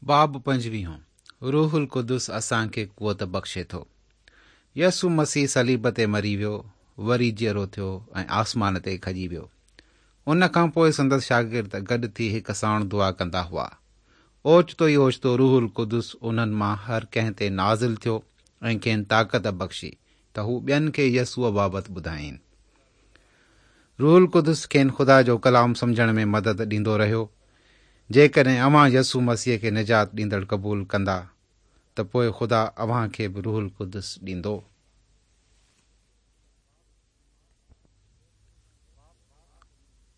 باب پنجويهون، روح القدس اسان کي قوت بخشي ٿو. يسوع مسيح صليب تي مري ويو، وري جيئرو ٿيو ۽ آسمان تي کڄي ويو. ان کان پوء سندس شاگرد گڏ ٿي هڪ ساڻ دعا ڪندا هئا. اوچتو ئي اوچتو روح القدس انهن مان هر ڪنهن تي نازل ٿيو ۽ کين طاقت بخشي ته هو ٻين کي يسوع بابت ٻڌائين. روح القدس کين خدا جو ڪلام سمجهڻ ۾ مدد ڏيندو رهيو. جيڪڏهن اوهان يسوع مسيح کي نجات ڏيندڙ قبول ڪندا ته پوء خدا اوهان کي به روح القدس ڏيندو.